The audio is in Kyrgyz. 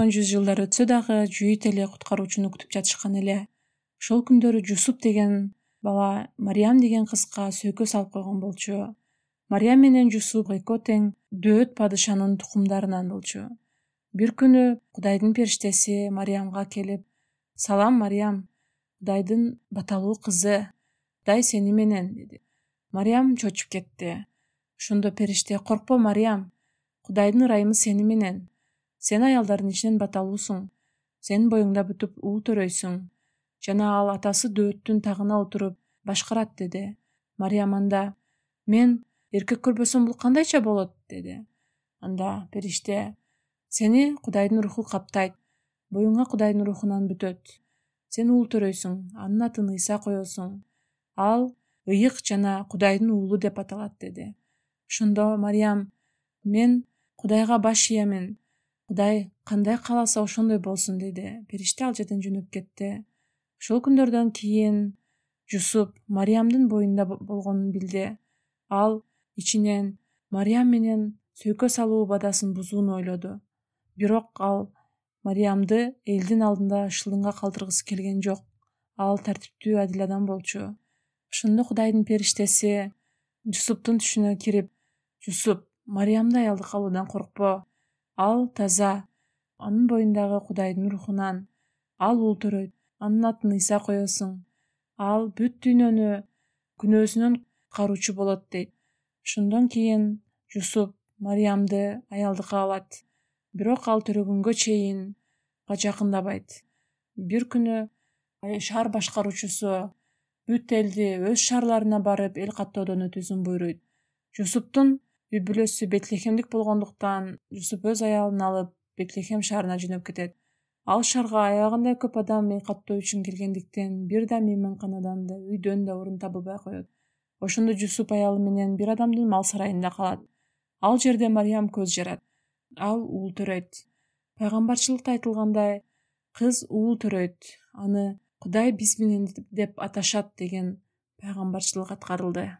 жүз жылдар өтсө дагы жүйүт эле куткаруучуну күтүп жатышкан эле. Ошол күндөрү Жусуп деген бала Мариям деген кызга сөйкө салып койгон болчу. Мариям менен Жусуп экөө тең дөөт падышанын тукумдарынан болчу. Бир күнү Кудайдын периштеси Мариямга келип: "Салам, Мариям, Кудайдын баталуу кызы, Кудай сени менен" деди. Мариям чочуп кетти. Ошондо периште: "Коркпо, Мариям, Кудайдын ырайымы сени менен. Сен аялдардын ичинен баталуусуң. Сенин боюңда бүтүп уул төрөйсүң. Жана ал атасы дөөттүн тагына отуруп башкарат" деди. Мариям анда: "Мен эркек көрбөсөм бул кандайча болот" деди. Анда периште: "Сени Кудайдын руху каптайт. Боюңа Кудайдын рухунан бүтөт. Сен уул төрөйсүң, анын атын Ыйса коесуң. Ал ыйык жана Кудайдын уулу деп аталат" деди. Ошондо Мариям: "Мен Кудайга баш ийемин. Кудай кандай кааласа ошондой болсун" деди. Периште ал жерден жөнөп кетти. Ошол күндөрдөн кийин Жусуп Мариямдын боюнда болгонун билди. Ал ичинен Мариям менен сөйкө салуу убадасын бузууну ойлоду. Бирок ал Мариямды элдин алдында шылыңга калтыргысы келген жок. Ал тартиптүү, адил адам болчу. Ошондо Кудайдын периштеси Жусуптун түшүнө кирип: "Жусуп, Мариямды аялдык алуудан коркпо. Ал таза. Анын боюндагы Кудайдын рухунан. Ал уул төрөйт. Анын атын Ыйса коесуң. Ал бүт дүйнөнү күнөөсүнөн куткаруучу болот" дейт. Ошондон кийин Жусуп Мариямды аялдыкка алат. Бирок ал төрөгөнгө чейин жакындабайт. Бир күнү шаар башкаруучусу бүт элди өз шаарларына барып эл каттоодон өтүүсүн буйруйт. Жусуптун үй бүлөсү Бетлехемдик болгондуктан Жусуп өз аялын алып Бетлехем шаарына жөнөп кетет. Ал шаарга аябагандай көп адам эл каттоо үчүн келгендиктен бир да мейманканадан да, үйдөн да орун табылбай коет. Ошондо Жусуп аялы менен бир адамдын мал сарайында калат. Ал жерде Мариям көз жарат. Ал уул төрөйт. Пайгамбарчылыкта айтылгандай, кыз уул төрөйт, аны Кудай биз менен деп аташат деген пайгамбарчылык аткарылды.